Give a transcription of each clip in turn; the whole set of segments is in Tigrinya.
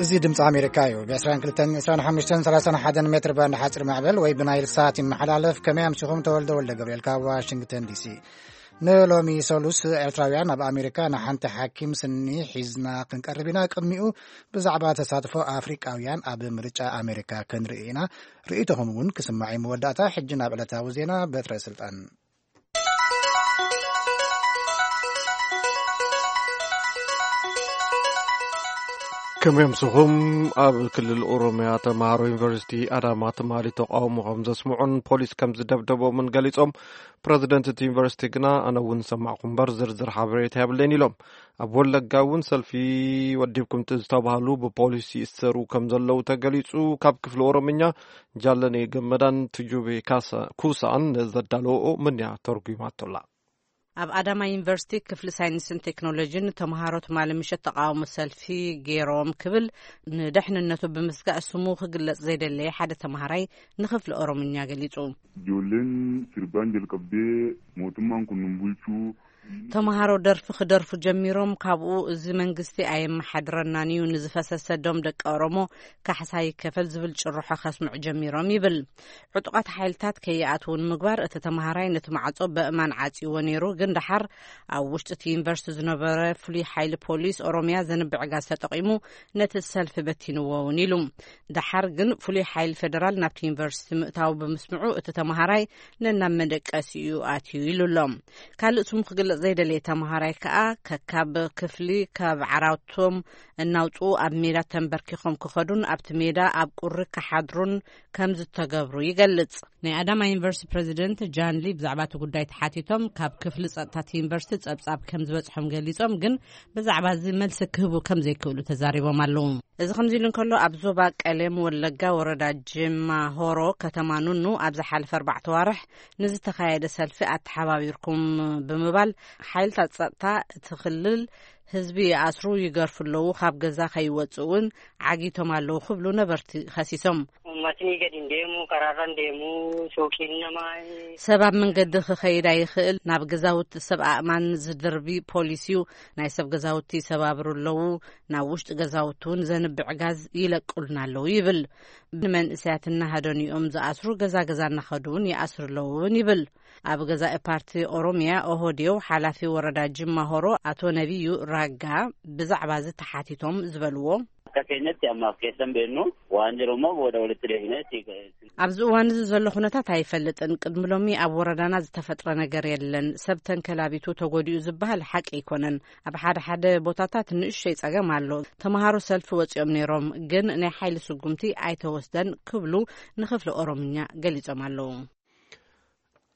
እዚ ድምፂ ኣሜሪካ እዩ። ብ22፣ 25፣ 31 ሜትር ባንድ ሓፂር ማዕበል ወይ ብናይል ሳት ይመሓላለፍ። ከመይ ኣምሲኹም? ተወልደ ወልደ ገብርኤል ካብ ዋሽንግተን ዲሲ። ንሎሚ ሰሉስ ኤርትራውያን ኣብ ኣሜሪካ ንሓንቲ ሓኪም ስኒ ሒዝና ክንቀርብ ኢና። ቅድሚኡ ብዛዕባ ተሳትፎ ኣፍሪቃውያን ኣብ ምርጫ ኣሜሪካ ክንርኢ ኢና። ርእይቶኹም እውን ክስማዕ እዩ። መወዳእታ ሕጂ ናብ ዕለታዊ ዜና በትረ ስልጣን። ከመይ ኣምስኹም? ኣብ ክልል ኦሮምያ ተምሃሮ ዩኒቨርሲቲ ኣዳማ ትማሊ ተቃውሞ ከም ዘስምዑን ፖሊስ ከም ዝደብደቦምን ገሊጾም። ፕረዚደንት እቲ ዩኒቨርሲቲ ግና ኣነ እውን ሰማዕኩ እምበር ዝርዝር ሓበሬታ የብለይን ኢሎም። ኣብ ወለጋ እውን ሰልፊ ወዲብኩም ዝተባህሉ ብፖሊስ ይእሰሩ ከም ዘለዉ ተገሊጹ። ካብ ክፍሊ ኦሮምኛ ጃለኔ ገመዳን ትጁቤ ካሳ-፣ ኩሳን ዘዳለወኦ ምንያ ተርጉማቶላ። ኣብ ኣዳማ ዩኒቨርሲቲ ክፍሊ ሳይንስን ቴክኖሎጂን ተምሃሮ ትማሊ ምሸት ተቃውሞ ሰልፊ ገይሮም ክብል ንደሕንነቱ ብምስጋእ ስሙ ክግለጽ ዘይደለየ ሓደ ተምሃራይ ንክፍሊ ኦሮምኛ ገሊጹ። Ijoolleen sirbaan jalqabdee mootummaan kun nun bulchuu. ተምሃሮ ደርፊ ክደርፉ ጀሚሮም። ካብኡ እዚ መንግስቲ ኣየመሓድረናን እዩ፣ ንዝፈሰሰ ደም ደቂ ኦሮሞ ካሕሳ ይከፈል ዝብል ጭርሖ ከስምዑ ጀሚሮም ይብል። ዕጡቓት ሓይልታት ከይኣትዉ ንምግባር እቲ ተምሃራይ ነቲ ማዕጾ በእማን ዓጽይዎ ነይሩ፣ ግን ደሓር ኣብ ውሽጢ እቲ ዩኒቨርሲቲ ዝነበረ ፍሉይ ሓይሊ ፖሊስ ኦሮምያ ዘንብዕ ጋዝ ተጠቒሙ ነቲ ሰልፊ በቲንዎ እውን ኢሉ። ደሓር ግን ፍሉይ ሓይሊ ፌደራል ናብቲ ዩኒቨርሲቲ ምእታው ብምስምዑ እቲ ተምሃራይ ነናብ መደቀሲኡ ኣትዩ ኢሉ ኣሎ። ካልእ ስሙ ክግለጽ ዘይደለየ ተምሃራይ ከኣ ከካብ ክፍሊ ካብ ዓራቶም እናውጽኡ ኣብ ሜዳ ተንበርኪኾም ክኸዱን ኣብቲ ሜዳ ኣብ ቁሪ ክሓድሩን ከም ዝተገብሩ ይገልጽ። ናይ ኣዳማ ዩኒቨርሲቲ ፕረዚደንት ጃን ሊ ብዛዕባ እቲ ጉዳይ ተሓቲቶም ካብ ክፍሊ ጸጥታ እቲ ዩኒቨርሲቲ ጸብጻብ ከም ዝበጽሖም ገሊጾም፣ ግን ብዛዕባ እዚ መልሲ ክህቡ ከም ዘይክእሉ ተዛሪቦም ኣለዉ። እዚ ከምዚ ኢሉ እንከሎ፣ ኣብ ዞባ ቀሌም ወለጋ ወረዳ ጅማ ሆሮ ከተማ ኑኑ ኣብ ዝሓለፈ ኣርባዕተ ዋርሕ ንዝተኻየደ ሰልፊ ኣተሓባቢርኩም ብምባል ሓይልታት ጸጥታ እቲ ክልል ህዝቢ ይኣስሩ፣ ይገርፉ ኣለዉ፣ ካብ ገዛ ከይወጽእ እውን ዓጊቶም ኣለዉ ክብሉ ነበርቲ ከሲሶም። Uummatni gadi hin deemu, karaarra hin deemu, suuqiin namaa. ሰብ ኣብ መንገዲ ክኸይድ ኣይኽእል። ናብ ገዛውቲ ሰብ ኣእማን ዝድርቢ ፖሊስ እዩ። ናይ ሰብ ገዛውቲ ይሰባብሩ ኣለዉ። ናብ ውሽጢ ገዛውቲ እውን ዘንብዕ ጋዝ ይለቁልና ኣለዉ ይብል። ንመንእሰያት እናሃደኑ እዮም ዝኣስሩ፣ ገዛ ገዛ እናኸዱ እውን ይኣስሩ ኣለዉ እውን ይብል። ኣብ ገዛኢ ፓርቲ ኦሮሚያ ኦህዴድ ሓላፊ ወረዳ ጅማ ሆሮ ኣቶ ነቢዩ ራጋ ብዛዕባ እዚ ተሓቲቶም ዝበልዎ፣ Akka keenyatti ammaaf keessan beennu waan jiru immoo booda walitti deebineetti ኣብዚ እዋን እዚ ዘሎ ኩነታት ኣይፈልጥን። ቅድሚ ሎሚ ኣብ ወረዳና ዝተፈጥረ ነገር የለን። ሰብ ተንከላቢቱ ተጎዲኡ ዝበሃል ሓቂ ኣይኮነን። ኣብ ሓደ ሓደ ቦታታት ንእሽተይ ጸገም ኣሎ። ተምሃሮ ሰልፊ ወጺኦም ነይሮም፣ ግን ናይ ሓይሊ ስጉምቲ ኣይተወስደን ክብሉ ንክፍሊ ኦሮምኛ ገሊጾም ኣለዉ።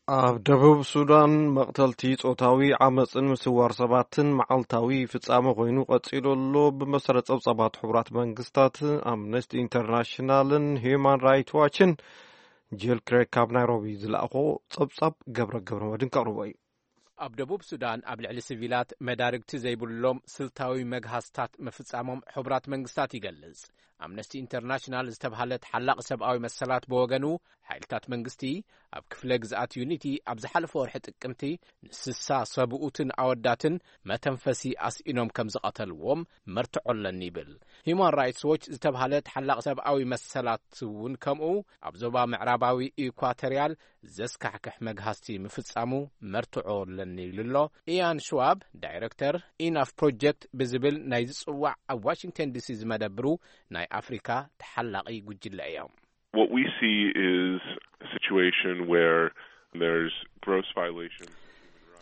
ኣብ ደቡብ ሱዳን መቕተልቲ፣ ጾታዊ ዓመጽን ምስዋር ሰባትን መዓልታዊ ፍጻመ ኮይኑ ቀጺሉ ኣሎ። ብመሰረት ጸብጻባት ሕቡራት መንግስታት፣ ኣምነስቲ ኢንተርናሽናልን ሂዩማን ራይት ዋችን። ጂል ክሬግ ካብ ናይሮቢ ዝለኣኾ ጸብጻብ ገብረ ገብረ መድን ከቕርቦ እዩ። ኣብ ደቡብ ሱዳን ኣብ ልዕሊ ሲቪላት መዳርግቲ ዘይብሎም ስልታዊ መግሃስታት ምፍጻሞም ሕቡራት መንግስታት ይገልጽ። ኣምነስቲ ኢንተርናሽናል ዝተብሃለ ተሓላቒ ሰብኣዊ መሰላት ብወገኑ፣ ሓይልታት መንግስቲ ኣብ ክፍለ ግዝኣት ዩኒቲ ኣብ ዝሓለፈ ወርሒ ጥቅምቲ ንስሳ ሰብኡትን ኣወዳትን መተንፈሲ ኣስኢኖም ከም ዝቐተልዎም መርትዖ ኣለኒ ይብል። ሂዩማን ራይትስ ዎች ዝተብሃለ ተሓላቒ ሰብኣዊ መሰላት እውን ከምኡ ኣብ ዞባ ምዕራባዊ ኢኳቶሪያል ዘስካሕክሕ መግሃስቲ ምፍጻሙ መርትዖ ኣለኒ ኢሉ ኣሎ። ኢያን ሽዋብ፣ ዳይረክተር ኢናፍ ፕሮጀክት ብዝብል ናይ ዝጽዋዕ ኣብ ዋሽንግተን ዲሲ ዝመደብሩ ናይ ኣፍሪካ ተሓላቒ ጉጅለ እዮም። What we see is a situation where there's gross violations.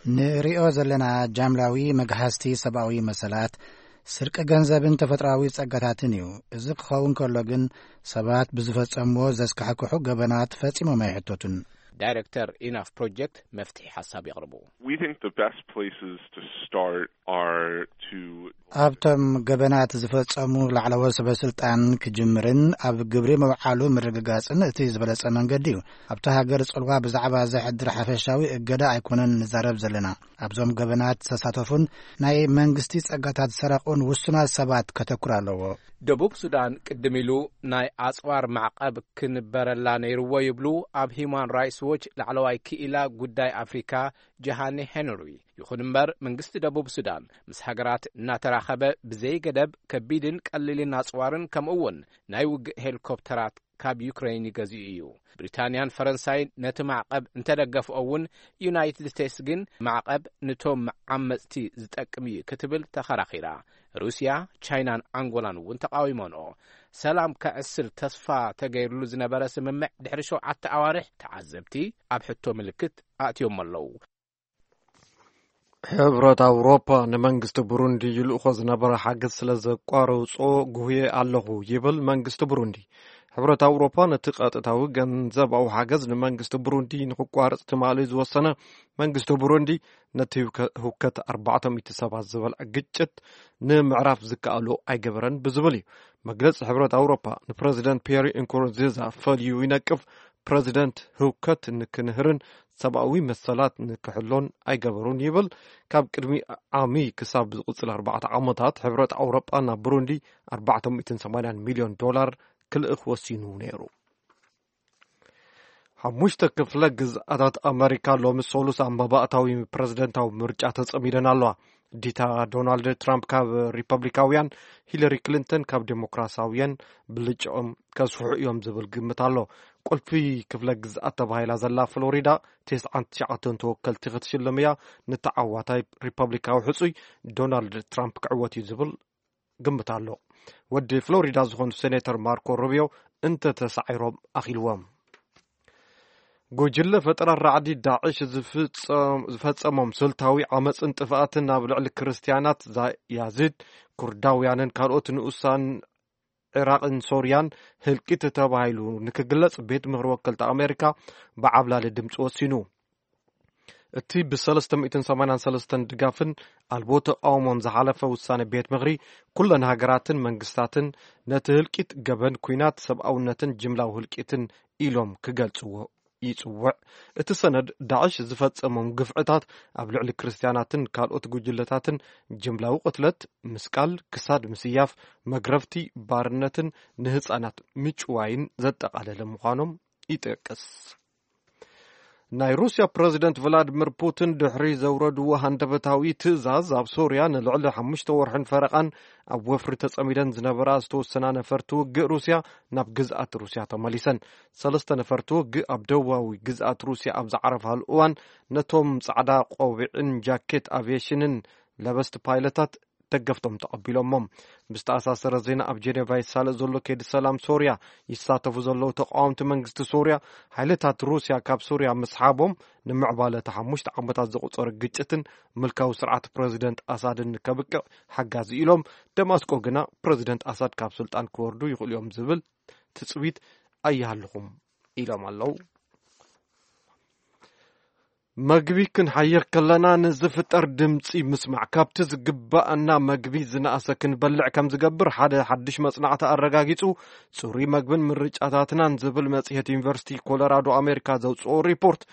ንሪኦ ዘለና ጃምላዊ መግሃስቲ ሰብኣዊ መሰላት፣ ስርቂ ገንዘብን ተፈጥሮኣዊ ጸጋታትን እዩ። እዚ ክኸውን ከሎ ግን ሰባት ብዝፈጸምዎ ዘስካሕክሑ ገበናት ፈጺሞም ኣይሕተቱን። ዳይረክተር ኢናፍ ፕሮጀክት መፍትሒ ሓሳብ የቕርቡ። We think the best places to start are to ኣብቶም ገበናት ዝፈጸሙ ላዕለዎት ሰበ ስልጣን ክጅምርን ኣብ ግብሪ ምውዓሉ ምርግጋጽን እቲ ዝበለጸ መንገዲ እዩ። ኣብታ ሃገር ጽልዋ ብዛዕባ ዘሕድር ሓፈሻዊ እገዳ ኣይኮነን ንዛረብ ዘለና። ኣብዞም ገበናት ዝተሳተፉን ናይ መንግስቲ ጸጋታት ዝሰረቑን ውሱናት ሰባት ከተኩር ኣለዎ። ደቡብ ሱዳን ቅድም ኢሉ ናይ ኣጽዋር ማዕቐብ ክንበረላ ነይርዎ ይብሉ ኣብ ሂዩማን ራይትስ ዎች ላዕለዋይ ክኢላ ጉዳይ ኣፍሪካ ጀሃኒ ሄንሪ። ይኹን እምበር መንግስቲ ደቡብ ሱዳን ምስ ሃገራት እናተራኸበ ብዘይገደብ ከቢድን ቀሊልን ኣጽዋርን ከምኡ እውን ናይ ውግእ ሄሊኮፕተራት ካብ ዩክሬን ይገዝኡ እዩ። ብሪታንያን ፈረንሳይን ነቲ ማዕቐብ እንተደገፍኦ እውን፣ ዩናይትድ ስቴትስ ግን ማዕቐብ ንቶም ዓመፅቲ ዝጠቅም እዩ ክትብል ተኸራኺራ። ሩስያ፣ ቻይናን ኣንጎላን እውን ተቃዊሞንኦ። ሰላም ከዕስል ተስፋ ተገይርሉ ዝነበረ ስምምዕ ድሕሪ ሸውዓተ ኣዋርሕ፣ ተዓዘብቲ ኣብ ሕቶ ምልክት ኣእትዮሞ ኣለዉ። ሕብረት ኣውሮፓ ንመንግስቲ ብሩንዲ ይልእኾ ዝነበረ ሓገዝ ስለ ዘቋረጾ ጉህየ ኣለኹ ይብል መንግስቲ ብሩንዲ። ሕብረት ኣውሮፓ ነቲ ቀጥታዊ ገንዘባዊ ሓገዝ ንመንግስቲ ብሩንዲ ንክቋረጽ ትማሊ ዝወሰነ መንግስቲ ብሩንዲ፣ ነቲ ህውከ-፣ ህውከት ኣርባዕተ ሚእቲ ሰባት ዝበልዐ ግጭት ንምዕራፍ ዝከኣሎ ኣይገበረን ብዝብል እዩ። መግለጺ ሕብረት ኣውሮፓ ንፕረዚደንት ፒየር እንኩሩንዚዛ ፈልዩ ይነቅፍ። ፕረዚደንት ህውከት ንክንህርን ሰብኣዊ መሰላት ንክሕሎን ኣይገበሩን ይብል። ካብ ቅድሚ ዓሚ ክሳብ ዝቕጽል ኣርባዕተ ዓመታት ሕብረት ኣውሮጳ ናብ ብሩንዲ ኣርባዕተ ሚእትን ሰማንያን ሚልዮን ዶላር ክልእኽ ወሲኑ ነይሩ። ሓሙሽተ ክፍለ ግዝኣታት ኣመሪካ ሎሚ ሰሉስ ኣብ መባእታዊ ፕረዚደንታዊ ምርጫ ተጸሚደን ኣለዋ። ዲታ ዶናልድ ትራምፕ ካብ ሪፐብሊካውያን፣ ሂለሪ ክሊንተን ካብ ዴሞክራሲያውያን ብልጭኦም ከስፍሑ እዮም ዝብል ግምት ኣሎ። ቁልፊ ክፍለ ግዝኣት ተባሂላ ዘላ ፍሎሪዳ፣ ተስዓን ትሽዓተን ተወከልቲ ክትሽልም እያ። ንተዓዋታይ ሪፐብሊካዊ ሕጹይ ዶናልድ ትራምፕ ክዕወት እዩ ዝብል ግምት ኣሎ። ወዲ ፍሎሪዳ ዝኾኑ ሴኔተር ማርኮ ሩቢዮ እንተተሳዒሮም ኣኺልዎም። ጉጅለ ፈጠራ ራዕዲ ዳዕሽ ዝፍጸም-፣ ዝፈጸሞም ስልታዊ ዓመጽን ጥፍኣትን ኣብ ልዕሊ ክርስትያናት ዛ-፣ ያዚድ፣ ኩርዳውያንን ካልኦት ንኡሳን ዒራቕን ሶርያን ህልቂት ተባሂሉ ንክግለጽ ቤት ምኽሪ ወከልቲ ኣሜሪካ ብዓብላሊ ድምፂ ወሲኑ። እቲ ብ ሰለስተ ሚእትን ሰማንያን ሰለስተን ድጋፍን ኣልቦ ተቃውሞን ዝሓለፈ ውሳነ ቤት ምኽሪ፣ ኩለን ሃገራትን መንግስታትን ነቲ ህልቂት ገበን ኲናት ሰብኣውነትን ጅምላዊ ህልቂትን ኢሎም ክገልጽዎ ይጽውዕ። እቲ ሰነድ፣ ዳዕሽ ዝፈጸሞም ግፍዕታት ኣብ ልዕሊ ክርስትያናትን ካልኦት ጉጅለታትን፣ ጅምላዊ ቅትለት፣ ምስቃል፣ ክሳድ ምስያፍ፣ መግረፍቲ፣ ባርነትን ንህጻናት ምጭዋይን ዘጠቓለለ ምዃኖም ይጠቅስ። ናይ ሩስያ ፕረዚደንት ቭላድሚር ፑቲን ድሕሪ ዘውረድዎ ሃንደበታዊ ትእዛዝ፣ ኣብ ሶርያ ንልዕሊ ሓሙሽተ ወርሕን ፈረቓን ኣብ ወፍሪ ተጸሚደን ዝነበራ ዝተወሰና ነፈርቲ ውግእ ሩስያ ናብ ግዝኣት ሩስያ ተመሊሰን። ሰለስተ ነፈርቲ ውግእ ኣብ ደቡባዊ ግዝኣት ሩስያ ኣብ ዝዓረፋሉ እዋን፣ ነቶም ጻዕዳ ቆቢዕን ጃኬት ኣቪየሽንን ለበስቲ ፓይለታት ደገፍቶም ተቐቢሎሞም። ብዝተኣሳሰረ ዜና፣ ኣብ ጀኔቫ ይሳለጥ ዘሎ ከይዲ ሰላም ሶርያ ይሳተፉ ዘለዉ ተቃወምቲ መንግስቲ ሶርያ፣ ሓይልታት ሩስያ ካብ ሶርያ ምስሓቦም፣ ንምዕባለ እቲ ሓሙሽተ ዓመታት ዘቑጸረ ግጭትን ምልካዊ ስርዓት ፕረዚደንት ኣሳድን ከብቅዕ ሓጋዚ ኢሎም። ደማስቆ ግና ፕረዚደንት ኣሳድ ካብ ስልጣን ክወርዱ ይኽእሉ እዮም ዝብል ትጽቢት ኣይሃልኹም ኢሎም ኣለዉ። መግቢ ክንሓይኽ ከለና ንዝፍጠር ድምፂ ምስማዕ ካብቲ ዝግባኣና መግቢ ዝነኣሰ ክንበልዕ ከም ዝገብር ሓደ ሓድሽ መጽናዕቲ ኣረጋጊጹ። ጽሩይ መግብን ምርጫታትናን ዝብል መጽሔት ዩኒቨርሲቲ ኮሎራዶ ኣሜሪካ ዘውጽኦ ሪፖርት፣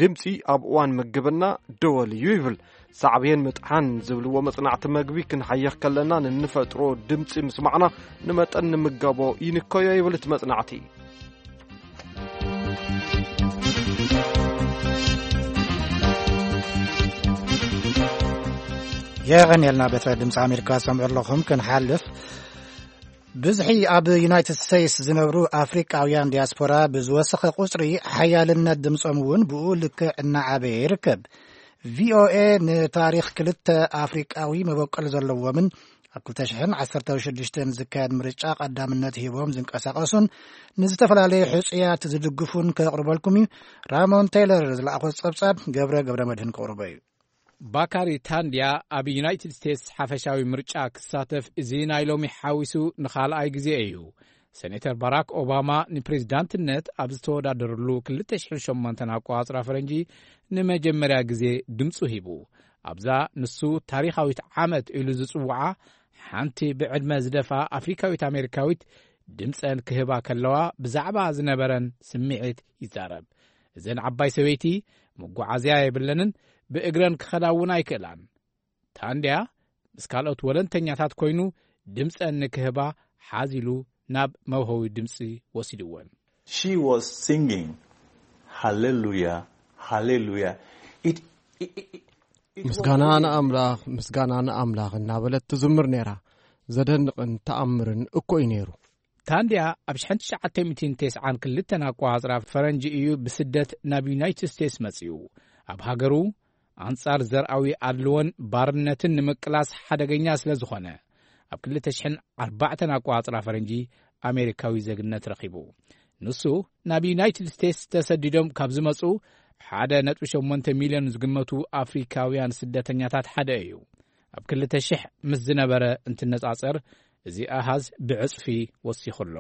ድምፂ ኣብ እዋን ምግብና ደወል እዩ ይብል። ሳዕቤን ምጥሓን ዝብልዎ መጽናዕቲ፣ መግቢ ክንሓይኽ ከለና ንንፈጥሮ ድምፂ ምስማዕና ንመጠን ንምገቦ ይንከዮ ይብል እቲ መጽናዕቲ። የቐንየልና። ቤት ድምፂ ኣሜሪካ ሰምዑ ኣለኹም። ክንሓልፍ፣ ብዝሒ ኣብ ዩናይትድ ስቴትስ ዝነብሩ ኣፍሪቃውያን ዲያስፖራ ብዝወሰኸ ቁጽሪ፣ ሓያልነት ድምጾም እውን ብኡ ልክዕ እናዓበየ ይርከብ። ቪኦኤ ንታሪኽ ክልተ ኣፍሪቃዊ መበቆል ዘለዎምን ኣብ ክልተ ሽሕን ዓሰርተ ሽዱሽተን ዝካየድ ምርጫ ቀዳምነት ሂቦም ዝንቀሳቐሱን ንዝተፈላለዩ ሕጹያት ዝድግፉን ከቕርበልኩም እዩ። ራሞን ቴይለር ዝለኣኾ ጸብጻብ ገብረ ገብረ መድህን ከቕርቦ እዩ። ባካሪ ታንድያ ኣብ ዩናይትድ ስቴትስ ሓፈሻዊ ምርጫ ክሳተፍ፣ እዚ ናይ ሎሚ ሓዊሱ ንኻልኣይ ግዜ እዩ። ሴኔተር ባራክ ኦባማ ንፕሬዝዳንትነት ኣብ ዝተወዳደረሉ ክልተ ሽሕን ሸሞንተን ኣቆጻጽራ ፈረንጂ ንመጀመርያ ግዜ ድምጹ ሂቡ። ኣብዛ ንሱ ታሪኻዊት ዓመት ኢሉ ዝጽውዓ፣ ሓንቲ ብዕድመ ዝደፍኣ ኣፍሪካዊት ኣሜሪካዊት ድምጸን ክህባ ከለዋ ብዛዕባ ዝነበረን ስምዒት ይዛረብ። እዘን ዓባይ ሰበይቲ መጓዓዝያ የብለንን፣ ብእግረን ክኸዳ እውን ኣይክእላን። ታንድያ ምስ ካልኦት ወለንተኛታት ኮይኑ ድምጸን ንክህባ ሓዚሉ ናብ መውሀዊ ድምጺ ወሲድወን። She was singing ሃሌሉያ፣ ሃሌሉያ። It, it, it, it, it was ምስጋና really ንኣምላኽ፣ ምስጋና ንኣምላኽ እናበለት ትዝምር ነይራ። ዘደንቕን ተኣምርን እኮ እዩ ነይሩ። ታንድያ ኣብ ሽሕን ትሽዓተ ሚእትን ተስዓን ክልተን ኣቆጻጽራ ፈረንጂ እዩ ብስደት ናብ ዩናይትድ ስቴትስ መጺኡ። ኣብ ሃገሩ ኣንጻር ዘርኣዊ ኣድልዎን ባርነትን ንምቅላስ ሓደገኛ ስለ ዝኾነ፣ ኣብ ክልተ ሽሕን ኣርባዕተን ኣቆጻጽራ ፈረንጂ ኣሜሪካዊ ዜግነት ረኺቡ። ንሱ ናብ ዩናይትድ ስቴትስ ተሰዲዶም ካብ ዝመጹ ሓደ ነጥቢ ሸሞንተ ሚልዮን ዝግመቱ ኣፍሪካውያን ስደተኛታት ሓደ እዩ። ኣብ ክልተ ሽሕ ምስ ዝነበረ እንትነጻጸር፣ እዚ ኣሃዝ ብዕጽፊ ወሲኹ ኣሎ።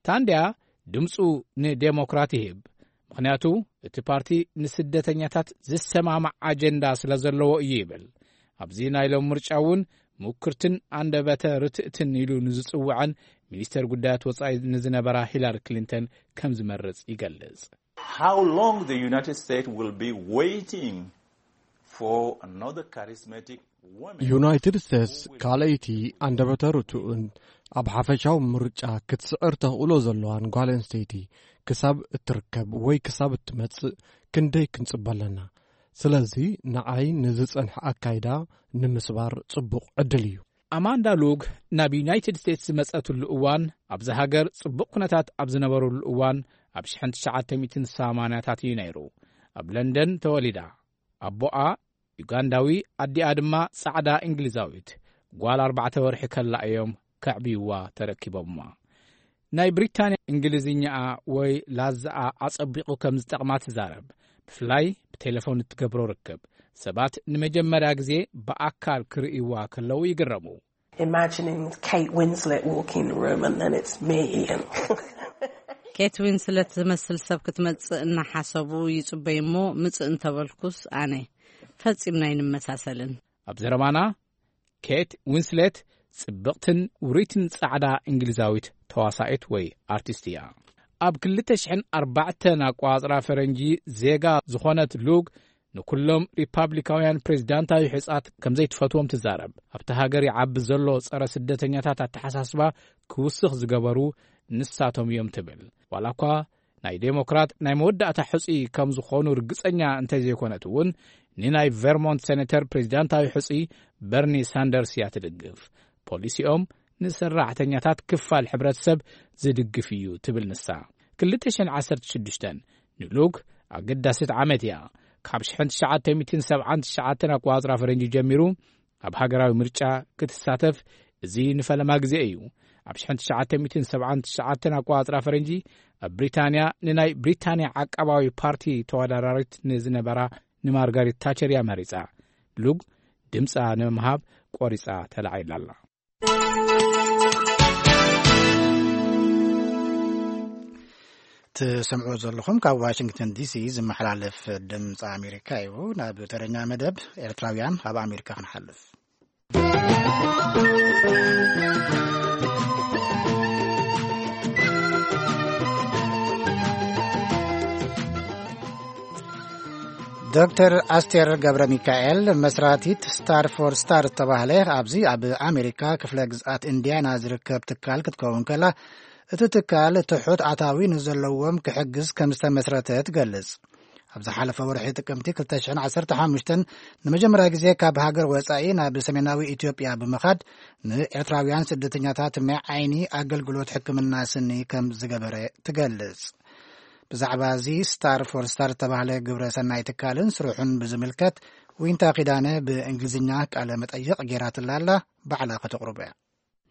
ታንድያ ድምጹ ንዴሞክራት ይህብ፣ ምኽንያቱ እቲ ፓርቲ ንስደተኛታት ዝሰማማዕ ኣጀንዳ ስለ ዘለዎ እዩ ይብል። ኣብዚ ናይ ሎም ምርጫ እውን ምኩርትን ኣንደበተ ርትእትን ኢሉ ንዝጽውዐን ሚኒስተር ጉዳያት ወጻኢ ንዝነበራ ሂላሪ ክሊንተን ከም ዝመርጽ ይገልጽ። How long the United States will be waiting for another charismatic woman? ዩናይትድ ስቴትስ ካልኣይቲ ኣንደበተ ርቱእን ኣብ ሓፈሻዊ ምርጫ ክትስዕር ተኽእሎ ዘለዋን ጓል ኣንስተይቲ ክሳብ እትርከብ ወይ ክሳብ እትመጽእ ክንደይ ክንጽበ ኣለና? ስለዚ ንዓይ ንዝጸንሐ ኣካይዳ ንምስባር ጽቡቕ ዕድል እዩ። ኣማንዳ ሉግ ናብ ዩናይትድ ስቴትስ ዝመጸትሉ እዋን፣ ኣብዚ ሃገር ጽቡቕ ኩነታት ኣብ ዝነበረሉ እዋን፣ ኣብ ሽሕን ትሽዓተ ሚእትን ሰማንያታት እዩ ነይሩ። ኣብ ለንደን ተወሊዳ። ኣቦኣ ዩጋንዳዊ፣ ኣዲኣ ድማ ጻዕዳ እንግሊዛዊት። ጓል ኣርባዕተ ወርሒ ከላ እዮም ከዕብይዋ ተረኪቦምዋ። ናይ ብሪታንያ እንግሊዝኛኣ ወይ ላዛኣ ኣጸቢቑ ከም ዝጠቕማ ትዛረብ። ብፍላይ ብቴሌፎን እትገብሮ ርክብ፣ ሰባት ንመጀመርያ ግዜ ብኣካል ክርእይዋ ከለዉ ይግረሙ። Imagining Kate Winslet walking the room and then it's me, Ian. ኬት ዊንስለት ዝመስል ሰብ ክትመጽእ እናሓሰቡ ይጽበዩ እሞ፣ ምጽእ እንተበልኩስ ኣነ። ፈጺምና ኣይንመሳሰልን። ኣብ ዘረባና፣ ኬት ዊንስሌት ጽብቕትን ውርይትን ጻዕዳ እንግሊዛዊት ተዋሳኢት ወይ ኣርቲስት እያ። ኣብ ክልተ ሽሕን ኣርባዕተን ኣቋጽራ ፈረንጂ ዜጋ ዝኾነት ሉግ፣ ንኩሎም ሪፓብሊካውያን ፕሬዚዳንታዊ ሕጻት ከም ዘይትፈትዎም ትዛረብ። ኣብቲ ሃገር ይዓቢ ዘሎ ጸረ ስደተኛታት ኣተሓሳስባ ክውስኽ ዝገበሩ ንሳቶም እዮም ትብል። ዋላ እኳ ናይ ዴሞክራት ናይ መወዳእታ ሕጹይ ከም ዝኾኑ ርግጸኛ እንተዘይኮነት እውን፣ ንናይ ቨርሞንት ሴኔተር ፕሬዚዳንታዊ ሕጹይ በርኒ ሳንደርስ እያ ትድግፍ። ፖሊሲኦም ንሰራሕተኛታት ክፋል ሕብረተሰብ ዝድግፍ እዩ ትብል ንሳ። ክልተ ሽሕን ዓሰርተ ሽዱሽተን ንሉክ ኣገዳሲት ዓመት እያ። ካብ ሽሕን ትሽዓተ ሚእትን ሰብዓን ትሽዓተን ኣቋጽራ ፈረንጂ ጀሚሩ ኣብ ሃገራዊ ምርጫ ክትሳተፍ፣ እዚ ንፈለማ ግዜ እዩ። ኣብ ሽሕን ትሽዓተ ሚእትን ሰብዓን ትሽዓተን ኣቋጽራ ፈረንጂ ኣብ ብሪታንያ ንናይ ብሪታንያ ዓቃባዊ ፓርቲ ተወዳዳሪት ንዝነበራ ንማርጋሪት ታቸር እያ መሪጻ። ሉግ ድምጻ ንምሃብ ቆሪጻ ተላዒላ ኣላ። ትሰምዑ ዘለኹም ካብ ዋሽንግተን ዲሲ ዝመሓላለፍ ድምፂ ኣሜሪካ እዩ። ናብ ተረኛ መደብ ኤርትራውያን ኣብ ኣሜሪካ ክንሓልፍ። ዶክተር ኣስቴር ገብረ ሚካኤል፣ መስራቲት ስታር ፎር ስታር ዝተባህለ ኣብዚ ኣብ ኣሜሪካ ክፍለ ግዝኣት ኢንዲያና ዝርከብ ትካል ክትከውን ከላ፣ እቲ ትካል ትሑት ኣታዊ ንዘለዎም ክሕግዝ ከም ዝተመስረተ ትገልጽ። ኣብ ዝሓለፈ ወርሒ ጥቅምቲ ክልተ ሽሕን ዓሰርተ ሓሙሽተን ንመጀመርያ ግዜ ካብ ሃገር ወጻኢ ናብ ሰሜናዊ ኢትዮጵያ ብምኻድ ንኤርትራውያን ስደተኛታት ናይ ዓይኒ ኣገልግሎት ሕክምና ስኒ ከም ዝገበረ ትገልጽ። ብዛዕባ እዚ ስታር ፎር ስታር ዝተባህለ ግብረ ሰናይ ትካልን ስርሑን ብዝምልከት ዊንታ ኪዳነ ብእንግሊዝኛ ቃለ መጠይቕ ጌራትላ ኣላ፣ ባዕላ ከተቕርቦ እያ።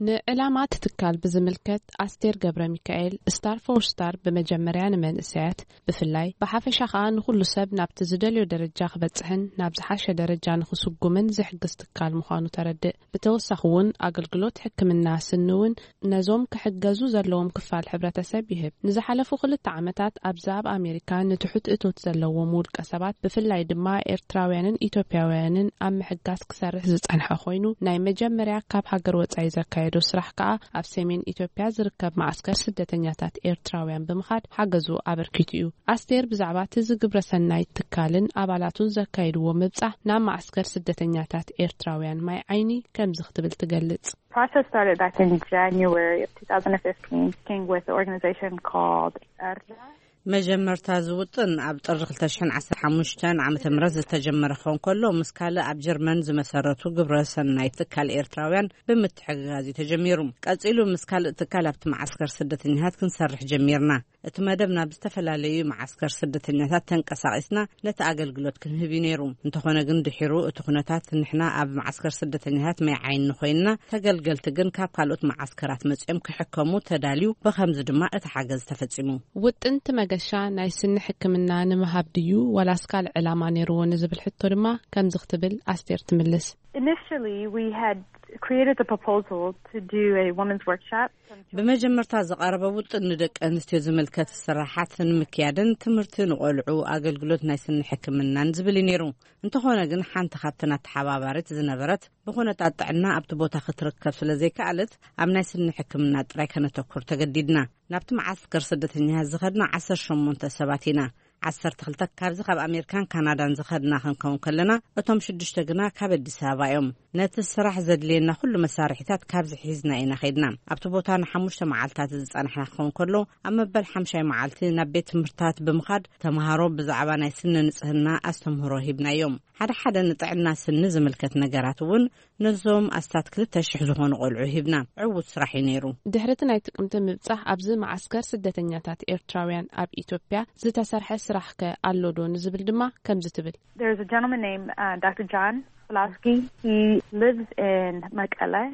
ንዕላማ እቲ ትካል ብዝምልከት ኣስቴር ገብረ ሚካኤል፣ ስታር ፎር ስታር ብመጀመርያ ንመንእሰያት ብፍላይ ብሓፈሻ ከኣ ንኹሉ ሰብ ናብቲ ዝደልዮ ደረጃ ክበጽሕን ናብ ዝሓሸ ደረጃ ንኽስጉምን ዝሕግዝ ትካል ምዃኑ ተረድእ። ብተወሳኺ እውን ኣገልግሎት ሕክምና ስኒ እውን ነዞም ክሕገዙ ዘለዎም ክፋል ሕብረተሰብ ይህብ። ንዝሓለፉ ክልተ ዓመታት ኣብዚ ኣብ ኣሜሪካ ንትሑት እቶት ዘለዎም ውልቀ ሰባት ብፍላይ ድማ ኤርትራውያንን ኢትዮጵያውያንን ኣብ ምሕጋዝ ክሰርሕ ዝጸንሐ ኮይኑ፣ ናይ መጀመርያ ካብ ሃገር ወጻኢ ዘካየዶ ስራሕ ከኣ ኣብ ሰሜን ኢትዮጵያ ዝርከብ ማዕስከር ስደተኛታት ኤርትራውያን ብምኻድ ሓገዙ ኣበርኪቱ እዩ። ኣስቴር ብዛዕባ እቲ እዚ ግብረ ሰናይ ትካልን ኣባላቱን ዘካየድዎ ምብጻሕ ናብ ማዕስከር ስደተኛታት ኤርትራውያን ማይ ዓይኒ ከምዚ ክትብል ትገልጽ። Process started back in January of two thousand fifteen, working with an organization called Erda. መጀመርታ ዝውጥን ኣብ ጥሪ ክልተ ሽሕን ዓሰርተ ሓሙሽተን ዓመተ ምህረት ዝተጀመረ ክኸውን ከሎ፣ ምስ ካልእ ኣብ ጀርመን ዝመሰረቱ ግብረ ሰናይ ትካል ኤርትራውያን ብምትሕግጋዝ እዩ ተጀሚሩ። ቀጺሉ ምስ ካልእ ትካል ኣብቲ መዓስከር ስደተኛታት ክንሰርሕ ጀሚርና። እቲ መደብ ናብ ዝተፈላለዩ መዓስከር ስደተኛታት ተንቀሳቒስና ነቲ ኣገልግሎት ክንህብ እዩ ነይሩ። እንተኾነ ግን ድሒሩ እቲ ኩነታት ንሕና ኣብ መዓስከር ስደተኛታት ማይ ዓይኒ ኮይንና፣ ተገልገልቲ ግን ካብ ካልኦት መዓስከራት መጺኦም ክሕከሙ ተዳልዩ፣ ብኸምዚ ድማ እቲ ሓገዝ ተፈጺሙ። ውጥንቲ መገሻ ናይ ስኒ ሕክምና ንምሃብ ድዩ ዋላስ ካልእ ዕላማ ነይርዎ ንዝብል ሕቶ ድማ ከምዚ ክትብል ኣስቴር ትምልስ። Initially, we had created the proposal to do a women's workshop. ብመጀመርታ ዝቐረበ ውጥን ንደቂ ኣንስትዮ ዝምልከት ስራሓት ንምክያድን ትምህርቲ ንቆልዑ ኣገልግሎት ናይ ስኒ ሕክምናን ዝብል እዩ ነይሩ። እንተኾነ ግን ሓንቲ ካብተን ኣተሓባባሪት ዝነበረት ብኹነታት ጥዕና ኣብቲ ቦታ ክትርከብ ስለ ዘይከኣለት ኣብ ናይ ስኒ ሕክምና ጥራይ ከነተኩር ተገዲድና። ናብቲ መዓስከር ስደተኛታት ዝኸድና ዓሰርተ ሸሞንተ ሰባት ኢና። ዓሰርተ ክልተ ካብዚ ካብ ኣሜሪካን ካናዳን ዝኸድና ክንከውን ከለና፣ እቶም ሽዱሽተ ግና ካብ ኣዲስ ኣበባ እዮም። ነቲ ስራሕ ዘድልየና ኩሉ መሳርሒታት ካብዚ ሒዝና ኢና ኸይድና። ኣብቲ ቦታ ንሓሙሽተ መዓልታት ዝጸናሕና ክኸውን ከሎ፣ ኣብ መበል ሓምሻይ መዓልቲ ናብ ቤት ትምህርትታት ብምኻድ ተምሃሮ ብዛዕባ ናይ ስነ ንጽህና ኣስተምህሮ ሂብናዮም። ሓደ ሓደ ንጥዕና ስኒ ዝምልከት ነገራት እውን ነዞም ኣስታት ክልተ ሽሕ ዝኾኑ ቆልዑ ሂብና። ዕዉት ስራሕ እዩ ነይሩ። ድሕሪ እቲ ናይ ጥቅምቲ ምብጻሕ ኣብዚ መዓስከር ስደተኛታት ኤርትራውያን ኣብ ኢትዮጵያ ዝተሰርሐ ስራሕከ ኣሎዶ ንዝብል ድማ ከምዚ ትብል። There's a gentleman named uh, Doctor John Pulaski. He lives in Mekelle.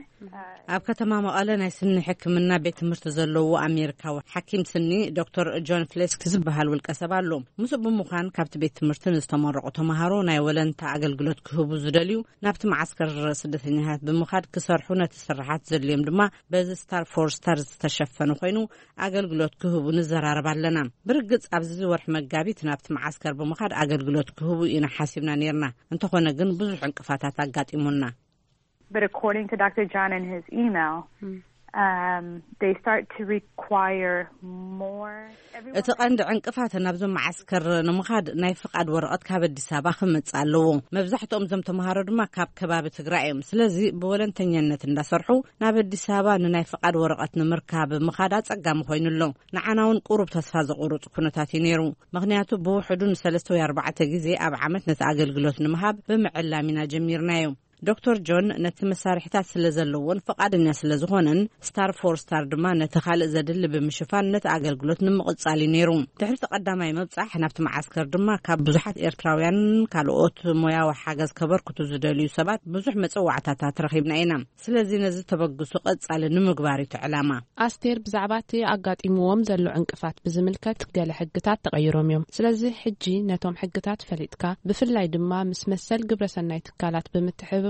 ኣብ ከተማ መቐለ ናይ ስኒ ሕክምና ቤት ትምህርቲ ዘለዎ ኣሜሪካዊ ሓኪም ስኒ ዶክተር ጆን ፍሌስክ ዝበሃል ውልቀ ሰብ ኣሎ። ምስኡ ብምዃን ካብቲ ቤት ትምህርቲ ንዝተመረቑ ተምሃሮ ናይ ወለንታ ኣገልግሎት ክህቡ ዝደልዩ ናብቲ መዓስከር ስደተኛታት ብምኻድ ክሰርሑ፣ ነቲ ስራሓት ዘድልዮም ድማ በዚ ስታር ፎር ስታር ዝተሸፈነ ኮይኑ ኣገልግሎት ክህቡ ንዘራረብ ኣለና። ብርግጽ ኣብዚ ወርሒ መጋቢት ናብቲ መዓስከር ብምኻድ ኣገልግሎት ክህቡ ኢና ሓሲብና ነይርና። እንተኾነ ግን ብዙሕ ዕንቅፋታት ኣጋጢሙና። But according to Doctor John and his email, um, they start to require more. Everyone እቲ ቀንዲ ዕንቅፋት ናብዞም መዓስከር ንምኻድ ናይ ፍቓድ ወረቐት ካብ ኣዲስ ኣበባ ክመጽእ ኣለዎ። መብዛሕትኦም እዞም ተምሃሮ ድማ ካብ ከባቢ ትግራይ እዮም። ስለዚ ብወለንተኛነት እንዳሰርሑ ናብ ኣዲስ ኣበባ ንናይ ፍቓድ ወረቐት ንምርካብ ምኻድ ኣጸጋሚ ኮይኑ ኣሎ። ንዓና እውን ቁሩብ ተስፋ ዘቑርጽ ኩነታት እዩ ነይሩ። ምኽንያቱ ብውሕዱ ንሰለስተ ወይ ኣርባዕተ ግዜ ኣብ ዓመት ነቲ ኣገልግሎት ንምሃብ ብምዕላም ኢና ጀሚርናዮ። ዶክተር ጆን ነቲ መሳርሒታት ስለ ዘለዎን ፍቓደኛ ስለ ዝኾነን፣ ስታር ፎር ስታር ድማ ነቲ ካልእ ዘድሊ ብምሽፋን ነቲ ኣገልግሎት ንምቕጻል እዩ ነይሩ። ድሕሪ እቲ ቀዳማይ ምብጻሕ ናብቲ መዓስከር ድማ ካብ ብዙሓት ኤርትራውያን ካልኦት ሞያዊ ሓገዝ ከበርክቱ ዝደልዩ ሰባት ብዙሕ መጸዋዕታታት ረኺብና ኢና። ስለዚ ነዚ ተበግሶ ቀጻሊ ንምግባር እዩ እቲ ዕላማ። ኣስቴር ብዛዕባ እቲ ኣጋጢምዎም ዘሎ ዕንቅፋት ብዝምልከት ገለ ሕግታት ተቐይሮም እዮም። ስለዚ ሕጂ ነቶም ሕግታት ፈሊጥካ፣ ብፍላይ ድማ ምስ መሰል ግብረሰናይ ትካላት ብምትሕብባር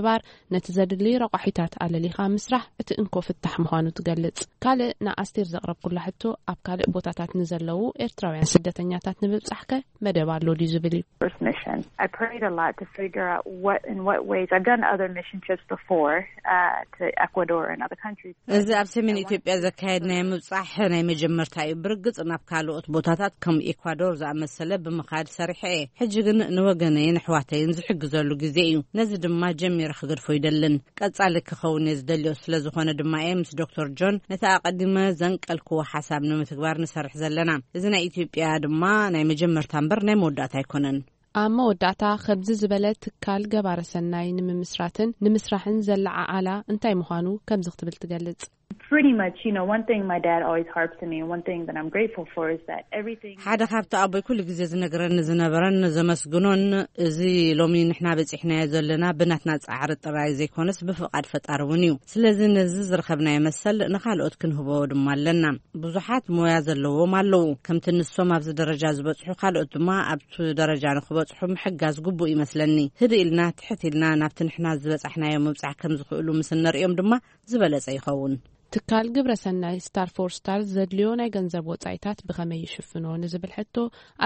ነቲ ዘድሊ ረቋሒታት ኣለሊኻ ምስራሕ እቲ እንኮ ፍታሕ ምዃኑ ትገልጽ። ካልእ ንኣስቴር ዘቕረብኩላ ሕቶ፣ ኣብ ካልእ ቦታታት ንዘለዉ ኤርትራውያን ስደተኛታት ንምብጻሕከ መደብ ኣሎ ድዩ ዝብል እዩ። First mission. I prayed a lot to figure out what, in what ways. I've done other mission trips before uh, to Ecuador and other countries. እዚ ኣብ ሰሜን ኢትዮጵያ ዘካየድናዮ ምብጻሕ ናይ መጀመርታ እዩ። ብርግጽ ናብ ካልኦት ቦታታት ከም ኤኳዶር ዝኣመሰለ ብምኻድ ሰሪሐ እየ። ሕጂ ግን ንወገነይን ኣሕዋተይን ዝሕግዘሉ ግዜ እዩ። ነዚ ድማ ጀሚረ ክገድፎ ይደልን። ቀጻሊ ክኸውን እየ ዝደልዮ። ስለ ዝኾነ ድማ እየ ምስ ዶክተር ጆን ነቲ ኣቐዲመ ዘንቀልክዎ ሓሳብ ንምትግባር ንሰርሕ ዘለና። እዚ ናይ ኢትዮጵያ ድማ ናይ መጀመርታ እምበር ናይ መወዳእታ ኣይኮነን። ኣብ መወዳእታ፣ ከምዚ ዝበለ ትካል ገባረ ሰናይ ንምምስራትን ንምስራሕን ዘለዓዓላ እንታይ ምዃኑ ከምዚ ክትብል ትገልጽ። Pretty much, you know, one thing my dad always harps to me, and one thing that I'm grateful for is that everything ሓደ ካብቲ ኣቦይ ኩሉ ግዜ ዝነግረኒ ዝነበረን ዘመስግኖን፣ እዚ ሎሚ ንሕና በጺሕናዮ ዘለና ብናትና ጻዕሪ ጥራይ ዘይኮነስ ብፍቓድ ፈጣሪ እውን እዩ። ስለዚ ነዚ ዝረኸብናዮ መሰል ንኻልኦት ክንህቦ ድማ ኣለና። ብዙሓት ሞያ ዘለዎም ኣለዉ። ከምቲ ንሶም ኣብዚ ደረጃ ዝበጽሑ፣ ካልኦት ድማ ኣብቲ ደረጃ ንኽበጽሑ ምሕጋዝ ግቡእ ይመስለኒ። ህድእ ኢልና፣ ትሕት ኢልና ናብቲ ንሕና ዝበጻሕናዮ ምብጻሕ ከም ዝኽእሉ ምስ እነርእዮም ድማ ዝበለጸ ይኸውን። ትካል ግብረ ሰናይ ስታር ፎር ስታር ዘድልዮ ናይ ገንዘብ ወጻኢታት ብኸመይ ይሽፍኖ ንዝብል ሕቶ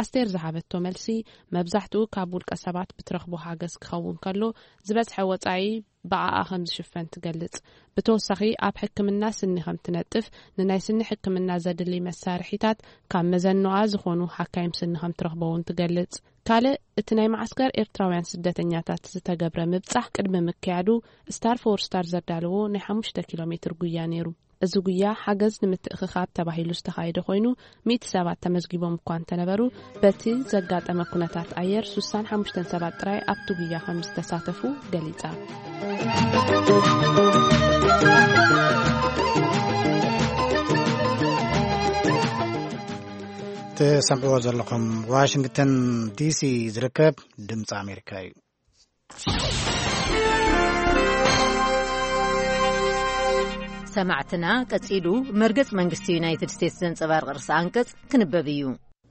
ኣስቴር ዝሃበቶ መልሲ፣ መብዛሕትኡ ካብ ውልቀ ሰባት ብትረኽቦ ሓገዝ ክኸውን ከሎ፣ ዝበዝሐ ወጻኢ ብኣኣ ከም ዝሽፈን ትገልጽ። ብተወሳኺ፣ ኣብ ሕክምና ስኒ ከም ትነጥፍ፣ ንናይ ስኒ ሕክምና ዘድሊ መሳርሒታት ካብ መዘኖኣ ዝኾኑ ሓካይም ስኒ ከም ትረኽቦ እውን ትገልጽ። ካልእ እቲ ናይ መዓስከር ኤርትራውያን ስደተኛታት ዝተገብረ ምብጻሕ ቅድሚ ምክያዱ፣ ስታር ፎር ስታር ዘዳለዎ ናይ ሓሙሽተ ኪሎ ሜትር ጉያ ነይሩ። እዚ ጉያ ሓገዝ ንምትእኽኻብ ተባሂሉ ዝተኻየደ ኮይኑ፣ ሚእቲ ሰባት ተመዝጊቦም እኳ እንተነበሩ፣ በቲ ዘጋጠመ ኩነታት ኣየር ሱሳን ሓሙሽተን ሰባት ጥራይ ኣብቲ ጉያ ከም ዝተሳተፉ ገሊጻ። ትሰምዕዎ ዘለኹም ዋሽንግተን ዲሲ ዝርከብ ድምፂ ኣሜሪካ እዩ። ሰማዕትና፣ ቀጺሉ መርገጽ መንግስቲ ዩናይትድ ስቴትስ ዘንጸባርቕ ርእሰ ኣንቀጽ ክንበብ እዩ።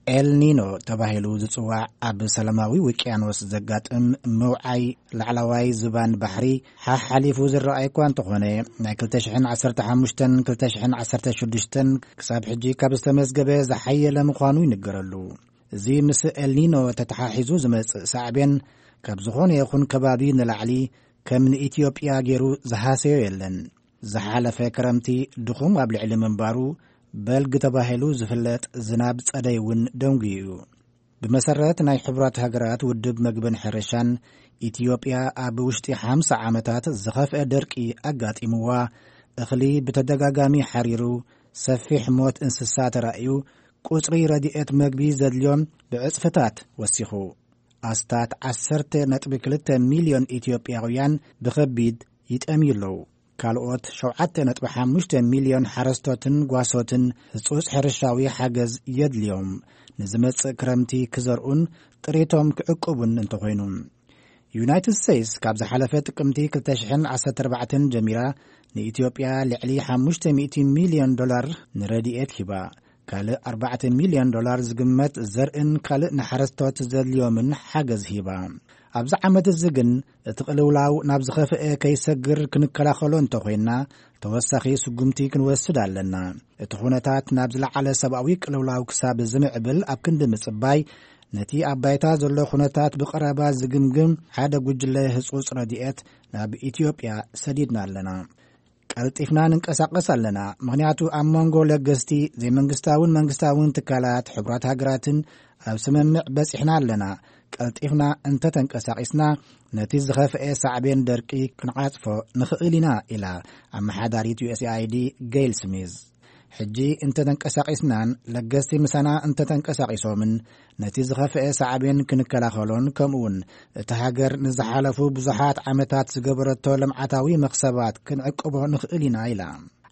ኤልኒኖ ተባሂሉ ዝጽዋዕ ኣብ ሰላማዊ ውቅያኖስ ዘጋጥም ምውዓይ ላዕለዋይ ዝባን ባሕሪ ሓሓሊፉ ዝረኣይ እኳ እንተኾነ፣ ናይ ክልተ ሽሕን ዓሰርተ ሓሙሽተን ክልተ ሽሕን ዓሰርተ ሽዱሽተን ክሳብ ሕጂ ካብ ዝተመዝገበ ዝሓየለ ምዃኑ ይንገረሉ። እዚ ምስ ኤልኒኖ ተተሓሒዙ ዝመጽእ ሳዕቤን ካብ ዝኾነ ይኹን ከባቢ ንላዕሊ ከም ንኢትዮጵያ ገይሩ ዝሃሰዮ የለን። ዝሓለፈ ክረምቲ ድኹም ኣብ ልዕሊ ምንባሩ፣ በልግ ተባሂሉ ዝፍለጥ ዝናብ ጸደይ እውን ደንጉዩ እዩ። ብመሰረት ናይ ሕቡራት ሃገራት ውድብ መግብን ሕርሻን፣ ኢትዮጵያ ኣብ ውሽጢ ሓምሳ ዓመታት ዝኸፍአ ደርቂ ኣጋጢምዋ፣ እኽሊ ብተደጋጋሚ ሓሪሩ፣ ሰፊሕ ሞት እንስሳ ተራእዩ፣ ቁጽሪ ረድኤት መግቢ ዘድልዮም ብዕጽፍታት ወሲኹ። ኣስታት ዓሰርተ ነጥቢ ክልተ ሚልዮን ኢትዮጵያውያን ብኸቢድ ይጠምዩ ኣለዉ። ካልኦት ሸውዓተ ነጥቢ ሓሙሽተ ሚልዮን ሓረስቶትን ጓሶትን ህጹጽ ሕርሻዊ ሓገዝ የድልዮም፣ ንዝመጽእ ክረምቲ ክዘርኡን ጥሪቶም ክዕቅቡን እንተኾይኑ። ዩናይትድ ስቴትስ ካብ ዝሓለፈ ጥቅምቲ ክልተ ሽሕን ዓሰርተ ኣርባዕተን ጀሚራ ንኢትዮጵያ ልዕሊ ሓሙሽተ ሚእቲ ሚልዮን ዶላር ንረድኤት ሂባ። ካልእ ኣርባዕተ ሚልዮን ዶላር ዝግመት ዘርእን ካልእ ንሓረስቶት ዘድልዮምን ሓገዝ ሂባ። ኣብዚ ዓመት እዚ ግን እቲ ቅልውላው ናብ ዝኸፍአ ከይሰግር ክንከላኸሎ እንተኾይንና፣ ተወሳኺ ስጉምቲ ክንወስድ ኣለና። እቲ ኩነታት ናብ ዝለዓለ ሰብኣዊ ቅልውላው ክሳብ ዝምዕብል ኣብ ክንዲ ምጽባይ፣ ነቲ ኣብ ባይታ ዘሎ ኩነታት ብቐረባ ዝግምግም ሓደ ጉጅለ ህጹጽ ረድኤት ናብ ኢትዮጵያ ሰዲድና ኣለና። ቀልጢፍና ንንቀሳቐስ ኣለና። ምኽንያቱ ኣብ መንጎ ለገስቲ፣ ዘይመንግስታውን መንግስታውን ትካላት፣ ሕቡራት ሃገራትን ኣብ ስምምዕ በጺሕና ኣለና። ቀልጢፍና እንተተንቀሳቒስና፣ ነቲ ዝኸፍአ ሳዕቤን ደርቂ ክንዓጽፎ ንኽእል ኢና፣ ኢላ ኣመሓዳሪት ዩ ኤስ ኤ ኣይ ዲ ጌይል ስሚዝ። ሕጂ እንተተንቀሳቒስናን ለገስቲ ምሳና እንተተንቀሳቒሶምን፣ ነቲ ዝኸፍአ ሳዕቤን ክንከላኸሎን፣ ከምኡውን እታ ሃገር ንዝሓለፉ ብዙሓት ዓመታት ዝገበረቶ ልምዓታዊ መኽሰባት ክንዕቅቦ ንኽእል ኢና፣ ኢላ።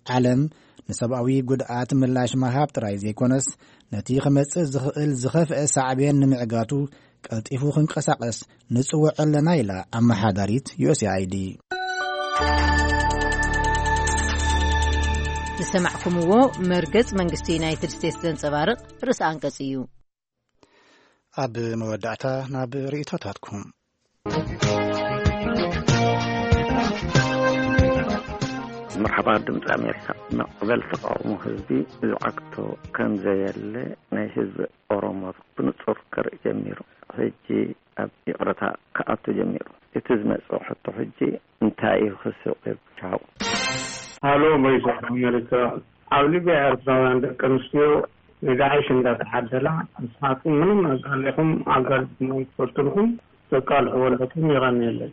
ዓለም ንሰብኣዊ ጉድኣት ምላሽ ምሃብ ጥራይ ዘይኮነስ፣ ነቲ ክመጽእ ዝኽእል ዝኸፍአ ሳዕቤን ንምዕጋቱ ቀልጢፉ ክንቀሳቐስ ንጽውዕ ኣለና፣ ኢላ ኣመሓዳሪት ዩ ኤስ ኤ ኣይ ዲ። ዝሰማዕኩምዎ መርገጽ መንግስቲ ዩናይትድ ስቴትስ ዘንጸባርቕ ርእሰ ኣንቀጽ እዩ። ኣብ መወዳእታ ናብ ርእይቶታትኩም። መርሓባ ድምፂ ኣሜሪካ። መቕበል ተቃውሞ ህዝቢ ዝዓግቶ ከም ዘየለ ናይ ህዝቢ ኦሮሞ ብንጹር ከርኢ ጀሚሩ። ሕጂ ኣብ ይቕረታ ክኣቱ ጀሚሩ። እቲ ዝመጽእ ሕቶ ሕጂ እንታይ እዩ ክስዕብ? ቻው። ሃሎ ቮይስ ኦፍ ኣሜሪካ። ኣብ ሊብያ ኤርትራውያን ደቂ ኣንስትዮ ንዳዕሽ እንዳተሓደላ፣ ንስኻትኩም ምንም ኣጋሊኹም ኣጋሊኹም ኣይትፈልጡልኩም፣ ተቃልሑ ወልዕኩም ይቐንየለይ።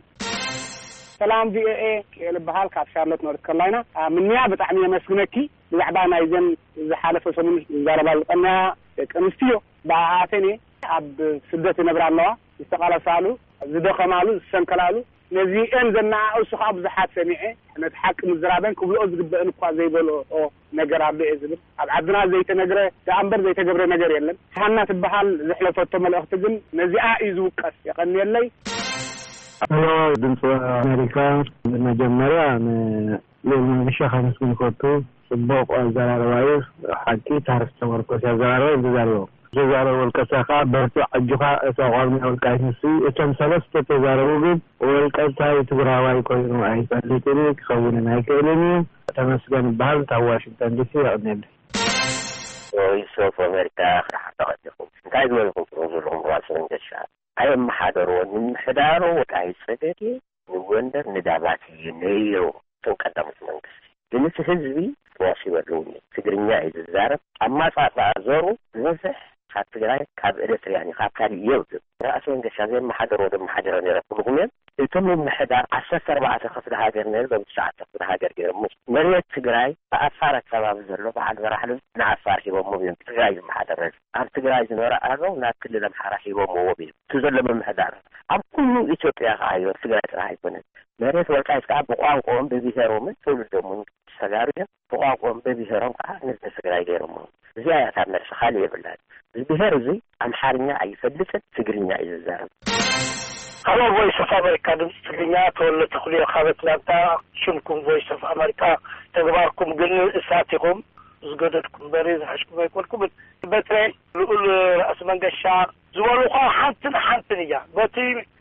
ሰላም ቪ ኦ ኤ፣ ኪኤል እበሃል ካብ ሻርሎት ኖርት ካሮላይና። አ፣ ምንያ ብጣዕሚ የመስግነኪ። ብዛዕባ ናይዘን ዝሓለፈ ሰሙን ዝዛረባ ዝቐነያ ደቂ ኣንስትዮ፣ ብኣኣተን እየ። ኣብ ስደት ይነብራ ኣለዋ፣ ዝተቓለሳሉ፣ ዝደኸማሉ፣ ዝሰንከላሉ፣ ነዚአን ዘነኣእሱ ከዓ ብዙሓት ሰሚዐ። ነቲ ሓቂ ምዝራበን ክብልኦ ዝግበአን እኳ ዘይበልኦ ነገር ኣሎ እየ ዝብል። ኣብ ዓድና ዘይተነግረ ደኣ እምበር ዘይተገብረ ነገር የለን። ሃና ትበሃል ዘሕለፈቶ መልእኽቲ ግን ነዚኣ እዩ ዝውቀስ። የቐንየለይ። ሄሎ፣ ድምፂ ኣሜሪካ፣ መጀመርያ ንልኡል መንገሻ ከመስግን ይፈቱ። ፅቡቕ ኣዘራርባ እዩ። ሓቂ ታሪክ ተመርኮስ ኣዘራርባ እዩ ዝዛረቦ። ዝዛረብ ወልቀሳ ከዓ በርትዕ፣ ኣጆኻ፣ እታ ቋሚ ወልቃይት ንሱ እዩ። እቶም ሰለስተ ተዛረቡ ግን ወልቀሳይ ትግራዋይ ኮይኑ ኣይፈልጥን እዩ፣ ክኸውንን ኣይክእልን እዩ። ተመስገን ይበሃል፣ ካብ ዋሽንግተን ዲሲ። የቐንየለይ። ቮይስ ኦፍ ኣሜሪካ፣ ክረሓታ ቀዲኹም እንታይ ዝበልኩም ትረኽቡ ዘለኹም? ራስ መንገሻ ኣየመሓደርዎን። ምምሕዳሩ ወልቃይት ጸገዴ ንጎንደር ንዳባት እዩ ነይሩ። እቶም ቀዳሞት መንግስቲ ግን እቲ ህዝቢ ተዋሲበ ኣለዉ። ትግርኛ እዩ ዝዛረብ። ኣማጻጽኣ ዘሩ ዝበዝሕ ኣብ ትግራይ ካብ ኤርትርያን እዩ፣ ካብ ካልእ የብሉን። ራእሲ መንገሻ ዘየመሓደርዎ ዶ መሓደሮ ነይረ ክብልኹም እዮም። እቶም ምምሕዳር ዓሰርተ ኣርባዕተ ክፍለ ሃገር ነይሩ፣ ሎም ትሽዓተ ክፍለ ሃገር ገይሮም። መሬት ትግራይ ብኣፋር ኣከባቢ ዘሎ በዓል በራሕሉ ንዓፋር ሂቦምዎ እዮም። ትግራይ ዝመሓደር ኣብ ትግራይ ዝነበረ ኣረው ናብ ክልል ኣምሓራ ሂቦምዎም እዮም። እቲ ዘሎ ምምሕዳር ኣብ ኩሉ ኢትዮጵያ ከዓዮ ትግራይ ጥራሕ ኣይኮነን። መሬት ወልቃይት ከዓ ብቋንቋኦም ብብሄሮምን ትውልዶምን ተጋሩ እዮም። ብቋንቋኦም ብብሄሮም ከዓ ንህዝቢ ትግራይ ገይሮምዎ። እዚኣ እያ ካብ መልሲ፣ ካልእ የብላን። እዚ ብሄር እዚ ኣምሓርኛ ኣይፈልጥን፣ ትግርኛ እዩ ዝዛረብ። ሃሎ ቮይስ ኦፍ ኣሜሪካ፣ ድምፂ ትግርኛ፣ ተወለ ተኽልዮ ካብ ኣትላንታ። ሽምኩም ቮይስ ኦፍ ኣሜሪካ፣ ተግባርኩም ግን እሳት ኢኹም። ዝገደድኩም በሪ ዝሓሽኩም ኣይኮንኩምን። በትረ ልኡል ራእሲ መንገሻ ዝበሉ እኳ ሓንትን ሓንትን እያ። በቲ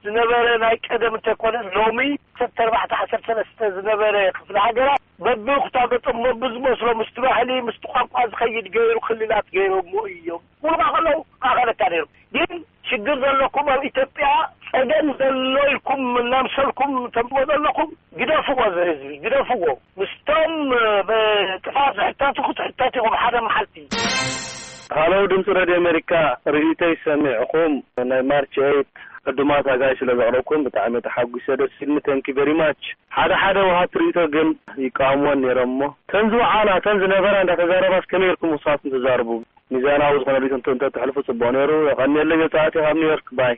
ዝነበረ ናይ ቀደም እንተይኮነ ሎሚ ዓሰርተ ኣርባዕተ ዓሰርተ ሰለስተ ዝነበረ ክፍለ ሃገራት በብኩታ ገጦም በብዝመስሎ ምስቲ ባህሊ ምስቲ ቋንቋ ዝኸይድ ገይሩ ክልላት ገይሮሞ እዮም። ኩሉ ከለዉ ማእኸለካ ነይሩ። ግን ሽግር ዘለኩም ኣብ ኢትዮጵያ ጸገም ዘሎ ኢልኩም እናምሰልኩም ተምጽዎ ዘለኹም ግደፍዎ፣ እዚ ህዝቢ ግደፍዎ። ምስቶም ብጥፋት ዝሕተቱ ክትሕተቱ ኢኹም ሓደ መዓልቲ። ሃሎ ድምፂ ሬድዮ ኣሜሪካ፣ ርእይቶይ ሰሚዕኹም ናይ ማርች ኤይት ዕዱማት ኣጋይ ስለ ዘቕረብኩም ብጣዕሚ ተሓጒሰ፣ ደስ ኢልኒ። Thank you very much። ሓደ ሓደ ወሃብቲ ርእይቶ ግን ይቃወምወን ነይሮም እሞ፣ ተን ዝወዓላ ተን ዝነበራ እንዳተዛረባስ ከመይ ኢልኩም ንስኻትኩም ትዛረቡ? ሚዛናዊ ዝኾነ ርእይቶ እንተ-፣ እንተተሕልፉ ጽቡቕ ነይሩ። የቐንየለይ። ዘጻእቲ ካብ ኒውዮርክ። ባይ።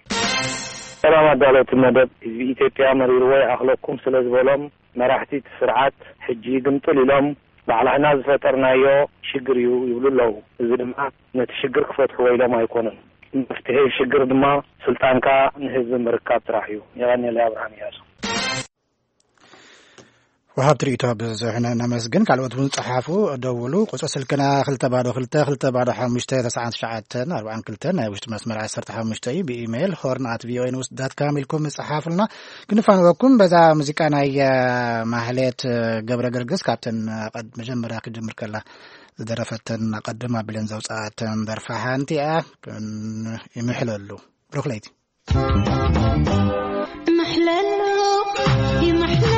ሰላም ኣዳለውቲ መደብ። ህዝቢ ኢትዮጵያ መሪርዎ ይኣኽለኩም ስለ ዝበሎም መራሕቲ እቲ ስርዓት ሕጂ ግምጥል ኢሎም ባዕላህና ዝፈጠርናዮ ሽግር እዩ ይብሉ ኣለዉ። እዚ ድማ ነቲ ሽግር ክፈትሕዎ ኢሎም ኣይኮኑን። መፍትሒ ሽግር ድማ ስልጣንካ ንህዝቢ ምርካብ ጥራሕ እዩ። የቐንየለይ። ኣብርሃም እያሱ። ወሃብቲ ርእይቶ ብዙሕ ነ-፣ ነመስግን። ካልኦት እውን ጸሓፉ፣ ደውሉ። ቁጽሪ ስልክና ክልተ ባዶ ክልተ፣ ክልተ ባዶ ሓሙሽተ፣ ተስዓን ትሽዓተን ኣርባዓን ክልተን፣ ናይ ውሽጢ መስመር ዓሰርተ ሓሙሽተ እዩ። ብኢሜይል ሆርን ኣት ቪኦኤ ኒውስ ዳት ካም ኢልኩም ጸሓፉልና። ክንፋንወኩም በዛ ሙዚቃ ናይ፣ እ፣ ማህሌት፣ እ፣ ገብረ ገርግስ ካብተን፣ እ፣ ቀድ-፣ መጀመርያ ክጅምር ከላ ዝደረፈተን፣ ቀድም ኣቢለን ዘውጽኣተን ደርፋ ሓንቲ እያ። ክን-፣ ይምሕለሉ። ብሩኽ ለይቲ። ይምሕለሉ፣ ይምሕለሉ፣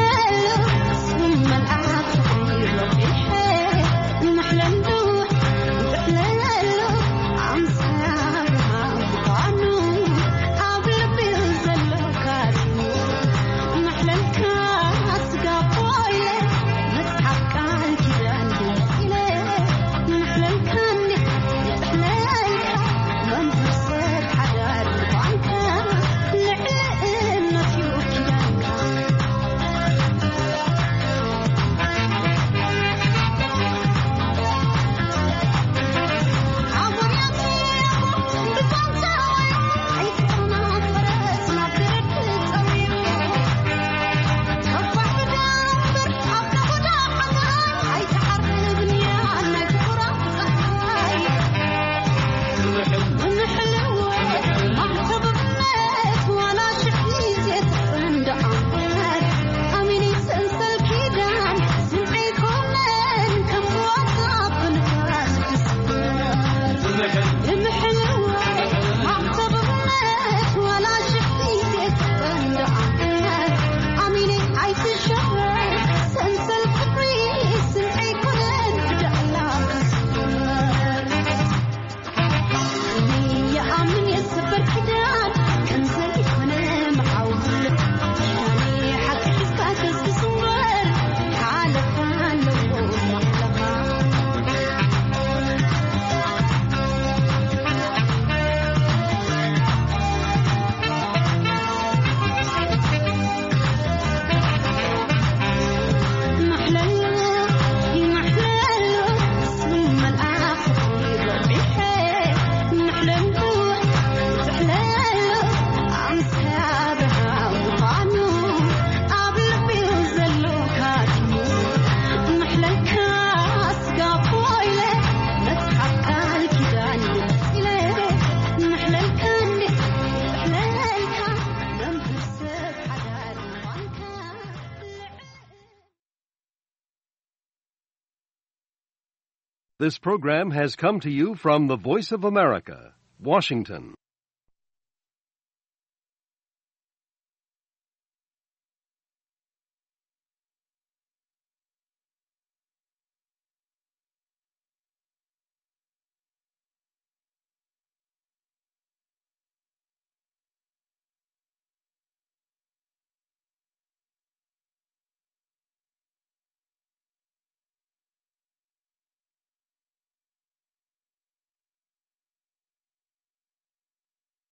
ስም መልኣኽ ፍቕሪ ረቢሐ። ይምሕለሉ፣ ይምሕለሉ፣ ኣምሳያ ብርሃን ምዃኑ ኣብ ልቢ ዘሎ ካድሙ። ይምሕለልካ ስጋ ኮይነ መጽሓፍ ቃል ኪዳን ገሊጽ ኢለ። ይምሕለልካ እንዴ፣ ይምሕለልካ መምህር ሰብ ሓዳር ምዃንካ ልዕሊ እምነት እዩ ኪዳንካ። This program has come to you from the Voice of America, Washington.